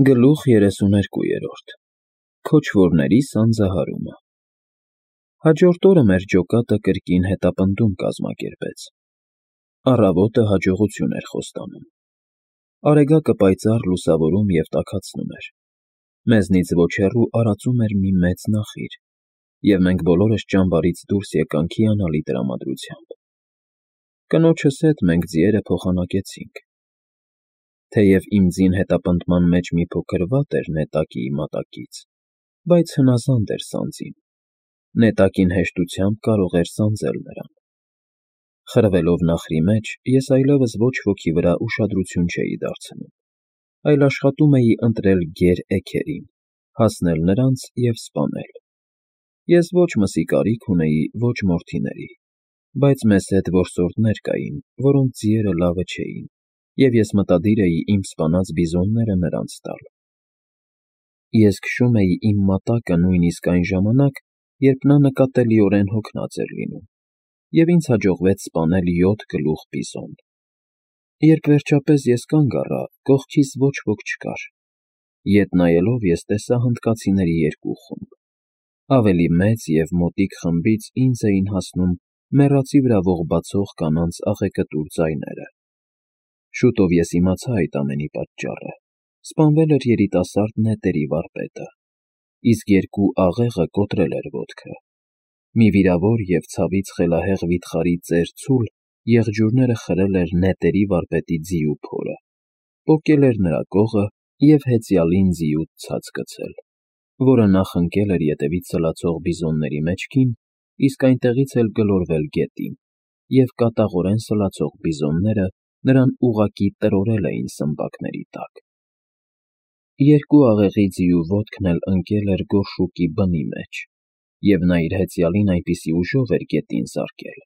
Գլուխ 32 Քոչվորների սանձահարումը Հաջորդ օրը մեր ջոկատը կրկին հետապնդում կազմակերպեց։ Առավոտը հաջողություն էր խոստանում։ Արեգակը պայծառ լուսավորում և տաքացնում էր։ Մեզնից ոչ հեռու արածում էր մի մեծ նախիր, և մենք բոլորս ճամբարից դուրս եկանք հիանալի տրամադրությամբ։ Կնոջս հետ մենք ձիերը փոխանակեցինք։ Թեև իմ ձին հետապնդման մեջ մի փոքր վատ էր նետակիի մատակից, բայց հնազանդ էր սանձին։ Նետակին հեշտությամբ կարող էր սանձել նրան։ Խրվելով նախրի մեջ, ես այլևս ոչ ոքի վրա ուշադրություն չէի դարձնում, այլ աշխատում էի ընտրել գեր էգերին, հասնել նրանց և սպանել։ Ես ոչ մսի կարիք ունեի, ոչ մորթիների, բայց մեզ հետ որսորդներ կային, որոնց ձիերը լավը չէին, և ես մտադիր էի իմ սպանած բիզոնները նրանց տալ։ Ես քշում էի իմ մատակը նույնիսկ այն ժամանակ, երբ նա նկատելիորեն հոգնած էր լինում, և ինձ հաջողվեց սպանել 7 գլուխ բիզոն։ Երբ վերջապես ես կանգ առա, կողքիս ոչ ոք չկար։ Ետ նայելով ես տեսա հնդկացիների 2 խումբ։ Ավելի մեծ և մոտիկ խմբից ինձ էին հասնում մեռածի վրա ողբացող կանանց աղեկտուր ձայները։ Շուտով ես իմացա այդ ամենի պատճառը։ Սպանվել էր երիտասարդ նետերի վարպետը, իսկ 2 աղեղը կոտրել էր ոտքը։ Մի վիրավոր և ցավից խելահեղ վիթխարի ծեր ցուլ եղջյուրները խրել էր նետերի վարպետի ձիու փորը, պոկել էր նրա կողը և հեծյալին ձիուց ցած գցել, որը նախ ընկել էր ետևից սլացող բիզոնների մեջքին, իսկ այնտեղից էլ գլորվել գետին, և կատաղորեն սլացող բիզոնները նրան ուղղակի տրորել էին սմբակների տակ։ 2 աղեղի ձիու ոտքն էլ ընկել էր գորշուկի բնի մեջ, և նա իր հեծյալին այնպիսի ուժով էր գետին զարկել,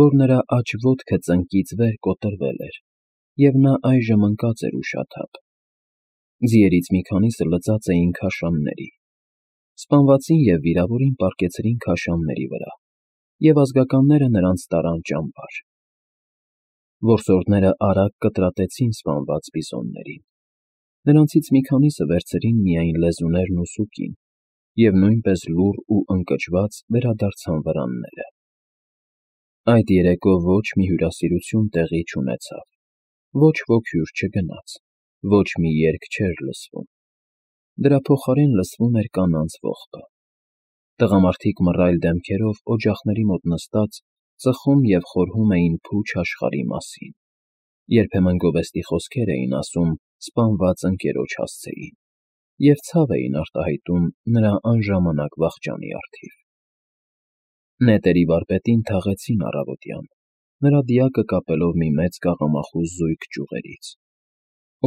որ նրա աջ ոտքը ծնկից վեր կոտրվել էր, և նա այժմ ընկած էր ուշաթափ։ Ձիերից մի քանիսը լծած էին քաշանների։ Սպանվածին և վիրավորին պառկեցրին քաշանների վրա, և ազգականները նրանց տարան ճամբար։ Որսորդները արագ կտրատեցին սպանված բիզոններին։ Նրանցից մի քանիսը վերցրին միայն լեզուներն ու սուկին, և նույնպես լուռ ու ընկճված վերադարձան վրանները։ Այդ երեկո ոչ մի հյուրասիրություն տեղի չունեցավ, ոչ ոք հյուր չգնաց, ոչ մի երգ չէր լսվում։ Դրա փոխարեն լսվում էր կանանց ողբը։ Տղամարդիկ մռայլ դեմքերով օջախների մոտ նստած ծխում և խորհում էին փուչ աշխարհի մասին, երբեմն գովեստի խոսքեր էին ասում սպանված ընկերոջ հասցեին, և ցավ էին արտահայտում նրա անժամանակ վախճանի առթիվ։ Նետերի վարպետին թաղեցին առավոտյան, նրա դիակը կապելով մի մեծ կաղամախուս զույգ ճյուղերից։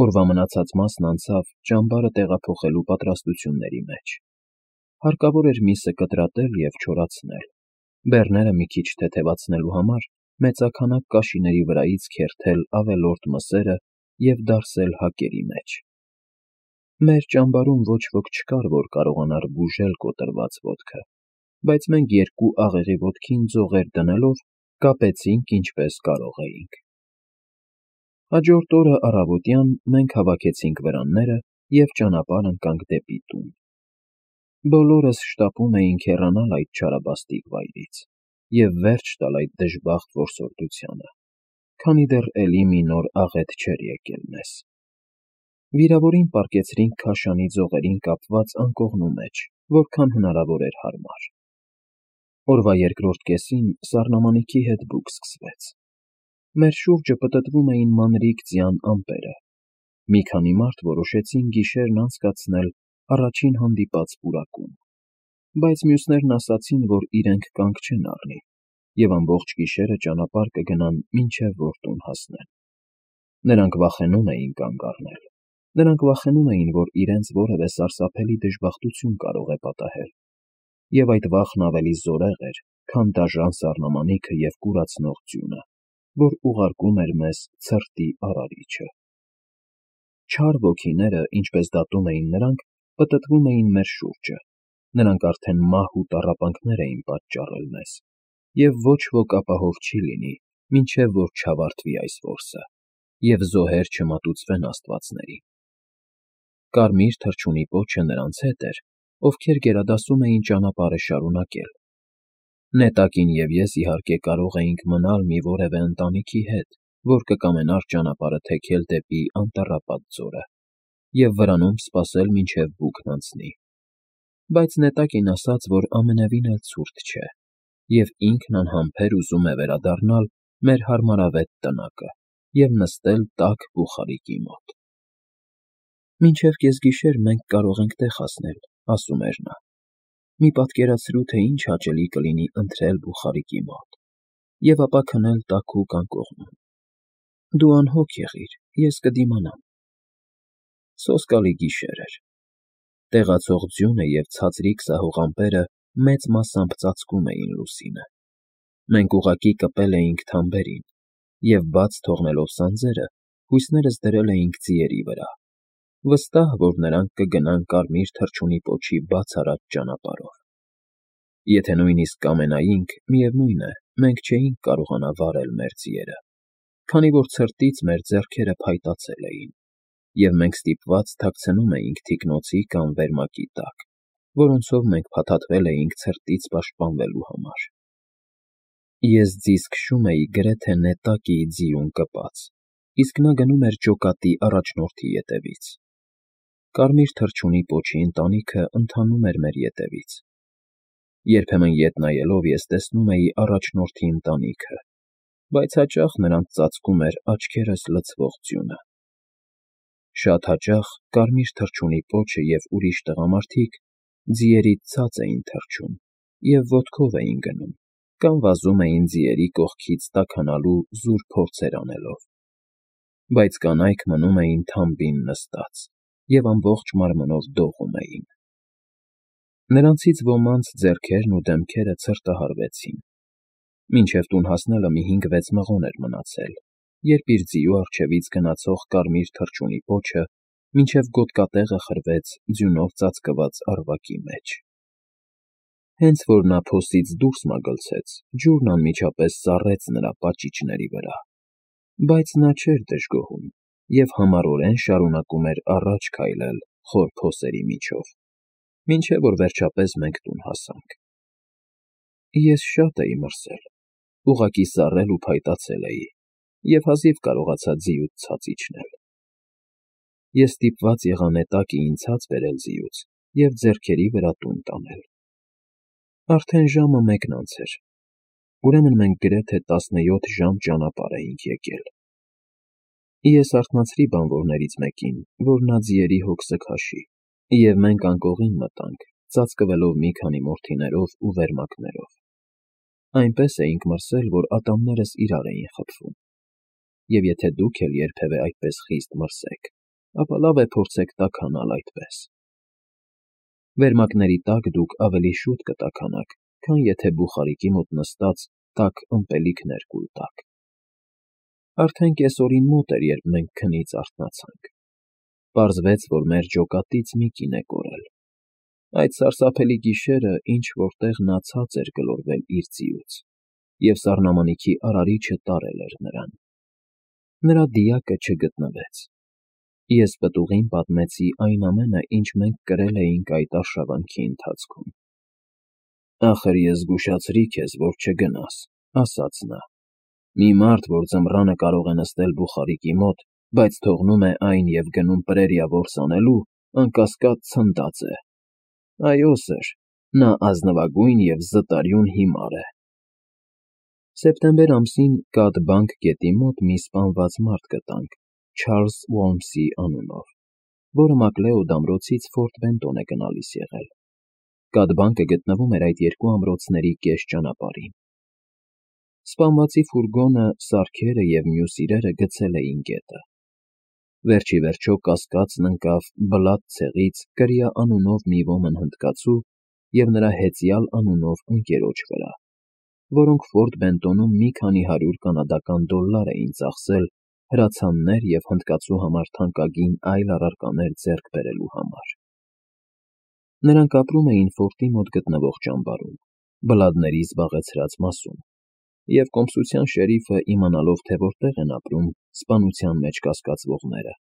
Օրվա մնացած մասն անցավ ճամբարը տեղափոխելու պատրաստությունների մեջ։ Հարկավոր էր միսը կտրատել և չորացնել, բեռները մի քիչ թեթևացնելու համար մեծաքանակ կաշիների վրայից քերթել ավելորդ մսերը և դարսել հակերի մեջ։ Մեր ճամբարում ոչ ոք չկար, որ կարողանար բուժել կոտրված ոտքը, բայց մենք 2 աղեղի ոտքին ձողեր դնելով կապեցինք ինչպես կարող էինք։ Հաջորդ օրը առավոտյան մենք հավաքեցինք վրանները և ճանապարհ ընկանք դեպի տուն։ Բոլորս շտապում էինք հեռանալ այդ չարաբաստիկ վայրից և վերջ տալ այդ դժբախտ որսորդությանը, քանի դեռ էլի մի նոր աղետ չէր եկել մեզ։ Վիրավորին պառկեցրինք քաշանի ձողերին կապված անկողնու մեջ, որքան հնարավոր էր հարմար։ Օրվա երկրորդ կեսին սառնամանիքի հետ բուք սկսվեց։ Մեր շուրջը պտտվում էին մանրիկ ձյան ամպերը։ Մի քանի մարդ որոշեցին գիշերն անցկացնել առաջին հանդիպած պուրակում, բայց մյուսներն ասացին, որ իրենք կանգ չեն առնի, և ամբողջ գիշերը ճանապարհ կգնան, մինչև որ տուն հասնեն։ Նրանք վախենում էին կանգ առնել։ Նրանք վախենում էին, որ իրենց որևէ սարսափելի դժբախտություն կարող է պատահել, և այդ վախն ավելի զորեղ էր, քան դաժան սառնամանիքը և կուրացնող ձյունը, որ ուղարկում էր մեզ ցրտի արարիչը։ Չար ոգիները, ինչպես դատում էին նրանք, պտտվում էին մեր շուրջը։ Նրանք արդեն մահ ու տառապանքներ էին պատճառել մեզ, և ոչ ոք ապահով չի լինի, մինչև որ չավարտվի այս որսը, և զոհեր չմատուցվեն աստվածներին։ Կարմիր թռչունի պոչը նրանց հետ էր, ովքեր գերադասում էին ճանապարհը շարունակել։ Նետակին և ես, իհարկե, կարող էինք մնալ մի որևէ ընտանիքի հետ, որ կկամենար ճանապարհը թեքել դեպի անտառապատ ձորը և վրանում սպասել, մինչև բուքն անցնի։ Բայց նետակին ասաց, որ ամենևին էլ ցուրտ չէ, և ինքն անհամբեր ուզում է վերադառնալ մեր հարմարավետ տնակը և նստել տաք բուխարիկի մոտ։ «Մինչև կեսգիշեր մենք կարող ենք տեղ հասնել», ֊ ասում էր նա։ «Մի պատկերացրու, թե ինչ հաճելի կլինի ընթրել բուխարիկի մոտ և ապա քնել տաքուկ անկողնում։ Դու անհոգ եղիր, ես կդիմանամ»։ Սոսկալի գիշեր էր։ Տեղացող ձյունը և ցածրիկ սահող ամպերը մեծ մասամբ ծածկում էին լուսինը։ Մենք ուղղակի կպել էինք թամբերին և, բաց թողնելով սանձերը, հույսներս դրել էինք ձիերի վրա, վստահ, որ նրանք կգնան կարմիր թռչունի պոչի բացառած ճանապարհով։ Եթե նույնիսկ կամենայինք, միևնույն է, մենք չէինք կարողանա վարել մեր ձիերը, քանի որ ցրտից մեր ձեռքերը փայտացել էին, և մենք ստիպված թաքցնում էինք թիկնոցի կամ վերմակի տակ, որոնցով մենք փաթաթվել էինք ցրտից պաշտպանվելու համար։ Ես ձիզ քշում էի գրեթե նետակի ձիուն կպած, իսկ նա գնում էր ջոկատի առաջնորդի ետևից։ Կարմիր թռչունի պոչի ընտանիքը ընթանում էր մեր ետևից։ Երբեմն ետ նայելով ես տեսնում էի առաջնորդի ընտանիքը, բայց հաճախ նրանց ծածկում էր աչքերս լցվող ձյունը։ Շատ հաճախ կարմիր թռչունի պոչը և ուրիշ տղամարդիկ ձիերից ցած էին թռչում և ոտքով էին գնում կամ վազում էին ձիերի կողքից տաքանալու զուր փորձեր անելով, բայց կանայք մնում էին թամբին նստած և ամբողջ մարմնով դողում էին։ Նրանցից ոմանց ձեռքերն ու դեմքերը ցրտահարվեցին։ Մինչև տուն հասնելը մի 5-6 մղոն էր մնացել, երբ իր ձիու առջևից գնացող կարմիր թռչունի պոչը մինչև գոտկատեղը խրվեց ձյունով ծածկված առվակի մեջ։ Հենց որ նա փոսից դուրս մագլցեց, ջուրն անմիջապես սառեց նրա պաճիճների վրա, բայց նա չէր դժգոհում և համառորեն շարունակում էր առաջ քայլել խոր փոսերի միջով, մինչև որ վերջապես մենք տուն հասանք։ Ես շատ էի մրսել, ուղղակի սառել ու փայտացել էի և հազիվ կարողացա ձիուց ցած իջնել։ Ես ստիպված եղա նետակը ինձ ցած բերել ձիուց և ձեռքերի վրա տուն տանել։ Արդեն ժամը 1-ն անց էր, ուրեմն մենք գրեթե 17 ժամ ճանապարհ էինք եկել։ Ես արթնացրի բանվորներից մեկին, որ նա ձիերի հոգսը քաշի, և մենք անկողին մտանք, ծածկվելով մի քանի մորթիներով ու վերմակներով։ Այնպես էինք մրսել, որ ատամներս իրար էին խփվում, և եթե դուք էլ երբևէ այդպես խիստ մրսեք, ապա լավ է փորձեք տաքանալ այդպես։ Վերմակների տակ դուք ավելի շուտ կտաքանաք, քան եթե բուխարիկի մոտ նստած տաք ըմպելիքներ կուլ տաք։ Արդեն կեսօրին մոտ էր, երբ մենք քնից արթնացանք։ Պարզվեց, որ մեր ջոկատից մի կին է կորել։ Այդ սարսափելի գիշերը ինչ֊որ տեղ նա ցած էր գլորվել իր ձիուց, և սառնամանիքի արարիչը տարել էր նրան։ Նրա դիակը չգտնվեց։ Ես պտուղին պատմեցի այն ամենը, ինչ մենք կրել էինք այդ արշավանքի ընթացքում։ «Ախր ես զգուշացրի քեզ, որ չգնաս», ֊ ասաց նա։ «Մի մարդ, որ ձմռանը կարող է նստել բուխարիկի մոտ, բայց թողնում է այն և գնում պրերիա որս անելու, անկասկած ցնդած է։ Այո, սըր, նա ազնվագույն և զտարյուն հիմար է»։ Սեպտեմբեր ամսին Կաթբանկ գետի մոտ մի սպանված մարդ գտանք Չարլզ Ուոլմսի անունով, որը Մակլեոդ ամրոցից Ֆորտ Բենտոն է գնալիս եղել։ Կաթբանկը գտնվում էր այդ երկու ամրոցների կես ճանապարհին։ Սպանվածի ֆուրգոնը, սարքերը և մյուս իրերը գցել էին գետը։ Վերջ ի վերջո կասկածն ընկավ Բլադ ցեղից Կրիա անունով մի ոմն հնդկացու և նրա Հեծյալ անունով ընկերոջ վրա, որոնք Ֆորտ Բենտոնում մի քանի $100 կանադական էին ծախսել հրացաններ և հնդկացու համար թանկագին այլ առարկաներ ձեռք բերելու համար։ Նրանք ապրում էին ֆորտի մոտ գտնվող ճամբարում, բլադների զբաղեցրած մասում, և կոմսության շերիֆը, իմանալով, թե որտեղ են ապրում սպանության մեջ կասկածվողները,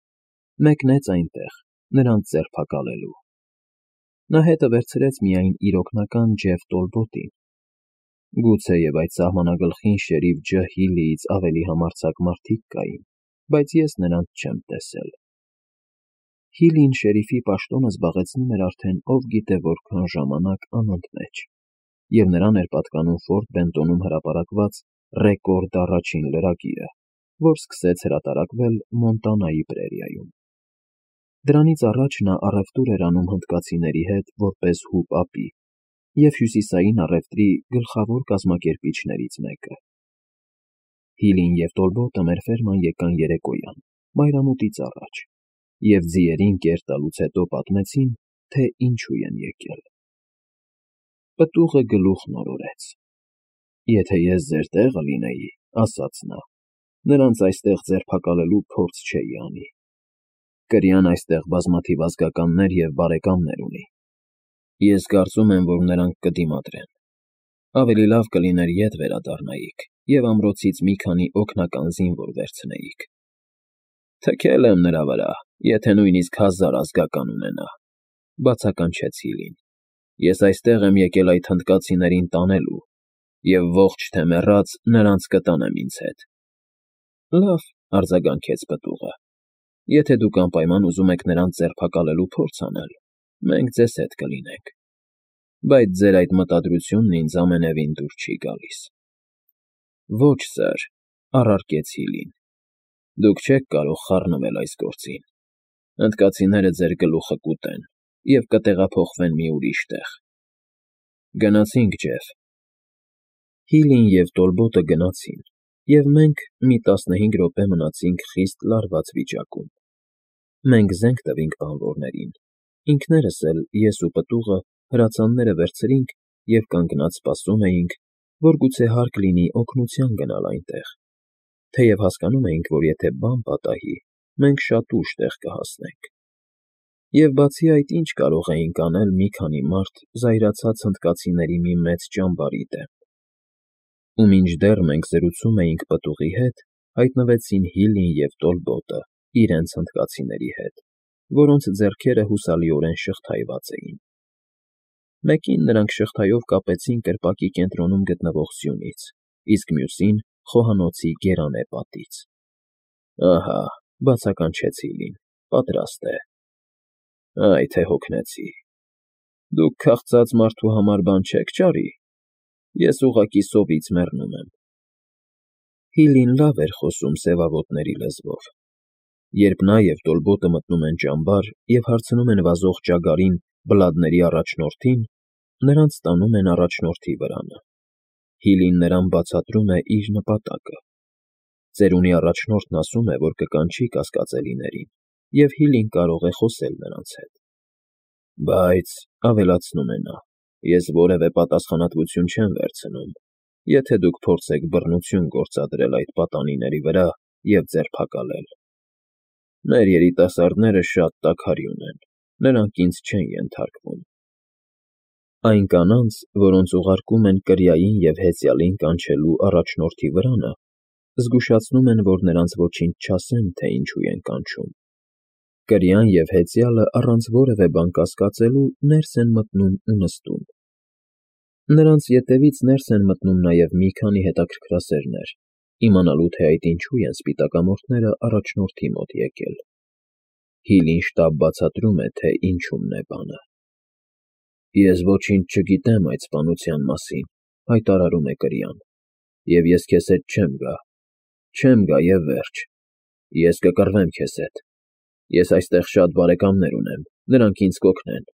մեկնեց այնտեղ նրանց ձերբակալելու։ Նա հետը վերցրեց միայն իր օգնական Ջեֆ Տոլբոտին։ Գուցեև այդ սահմանագլխին շերիֆ Ջ. Հիլիից ավելի համարձակ մարդիկ կային, բայց ես նրանց չեմ տեսել։ Հիլին շերիֆի պաշտոնը զբաղեցնում էր արդեն ով գիտե որքան ժամանակ անընդմեջ, և նրան էր պատկանում Ֆորտ Բենտոնում հրապարակված ռեկորդ առաջին լրագիրը, որ սկսեց հրատարակվել Մոնտանայի պրերիայում։ Դրանից առաջ նա առևտուր էր անում հնդկացիների հետ որպես հուպ-ապի և հյուսիսային առևտրի գլխավոր կազմակերպիչներից մեկը։ Հիլին և Տոլբոտը մեր ֆերման եկան երեկոյան, մայրամուտից առաջ, և ձիերին կեր տալուց հետո պատմեցին, թե ինչու են եկել։ Պտուղը գլուխն օրորեց. «Եթե ես ձեր տեղը լինեի, ասաց նա, նրանց այստեղ ձերբակալելու փորձ չէի անի։ Կրյան այստեղ բազմաթիվ ազգականներ և բարեկամներ ունի։ Ես կարծում եմ, որ նրանք կդիմադրեն։ Ավելի լավ կլիներ ետ վերադառնայիք և ամրոցից մի քանի օգնական զինվոր վերցնեիք»։ Թքել եմ նրա վրա, եթե նույնիսկ 1000 ազգական ունենա, բացականչեց Հիլին։ Ես այստեղ եմ եկել այդ հնդկացիներին տանելու, և ողջ թե մեռած նրանց կտանեմ ինձ հետ։ Լավ, արձագանքեց պտուղը, եթե դուք անպայման ուզում եք նրանց ձերբակալելու փորձ անել, մենք ձեզ հետ կլինենք, բայց ձեր այդ մտադրությունն ինձ ամենևին դուր չի գալիս։ Ոչ, սըր, առարկեց Հիլին, դուք չեք կարող խառնվել այս գործին։ Հնդկացիները ձեր գլուխը կուտեն և կտեղափոխվեն մի ուրիշ տեղ։ Գնացինք, Ջեֆ։ Հիլին և Տոլբոտը գնացին, և մենք մի 15 րոպե մնացինք խիստ լարված վիճակում։ Մենք զենք տվինք բանվորներին, ինքներս էլ, ես ու պտուղը, հրացանները վերցրինք և կանգնած սպասում էինք, որ գուցե հարկ լինի օգնության գնալ այնտեղ, թեև հասկանում էինք, որ եթե բան պատահի, մենք շատ ուշ տեղ կհասնենք։ Եվ բացի այդ, ինչ կարող էինք անել մի քանի մարդ զայրացած հնդկացիների մի մեծ ճամբարի դեմ։ Ու մինչդեռ մենք զրուցում էինք պտուղի հետ, հայտնվեցին Հիլին և Տոլբոտը իրենց հնդկացիների հետ, որոնց ձեռքերը հուսալիորեն շղթայված էին։ Մեկին նրանք շղթայով կապեցին կրպակի կենտրոնում գտնվող սյունից, իսկ մյուսին խոհանոցի գերանե պատից։ Ահա, բացականչեց Հիլին, պատրաստ է։ Այ թե հոգնեցի։ Դուք քաղցած մարդու համար բան չեք ճարի։ Ես ուղղակի սովից մեռնում եմ։ Հիլին լավ էր խոսում սևավոտների լեզվով։ Երբ նա և Տոլբոտը մտնում են ճամբար և հարցնում են վազող ճագարին բլադների առաջնորդին, նրանց տանում են առաջնորդի վրանը։ Հիլին նրան բացատրում է իր նպատակը։ Ծերունի առաջնորդն ասում է, որ կկանչի կասկածելիներին, և Հիլին կարող է խոսել նրանց հետ։ Բայց, ավելացնում է նա, ես որևէ պատասխանատվություն չեմ վերցնում, եթե դուք փորձեք բռնություն գործադրել այդ պատանիների վրա և ձերբակալել։ Մեր երիտասարդները շատ տաքարյուն են, նրանք ինձ չեն ենթարկվում։ Այն կանանց, որոնց ուղարկում են կրիային և հեծյալին կանչելու առաջնորդի վրանը, զգուշացնում են, որ նրանց ոչինչ չասեն, թե ինչու են կանչում։ Կրյան և հեծյալը առանց որևէ բան կասկածելու ներս են մտնում ու նստում։ Նրանց ետևից ներս են մտնում նաև մի քանի հետաքրքրասերներ, իմանալու, թե այդ ինչու են սպիտակամորթները առաջնորդի մոտ եկել։ Հիլին շտապ բացատրում է, թե ինչումն է բանը։ Ես ոչինչ չգիտեմ այդ սպանության մասին, հայտարարում է կրյան, և ես քեզ հետ չեմ գա։ Չեմ գա և վերջ։ Ես կկռվեմ քեզ հետ։ Ես այստեղ շատ բարեկամներ ունեմ, նրանք ինձ կօգնեն։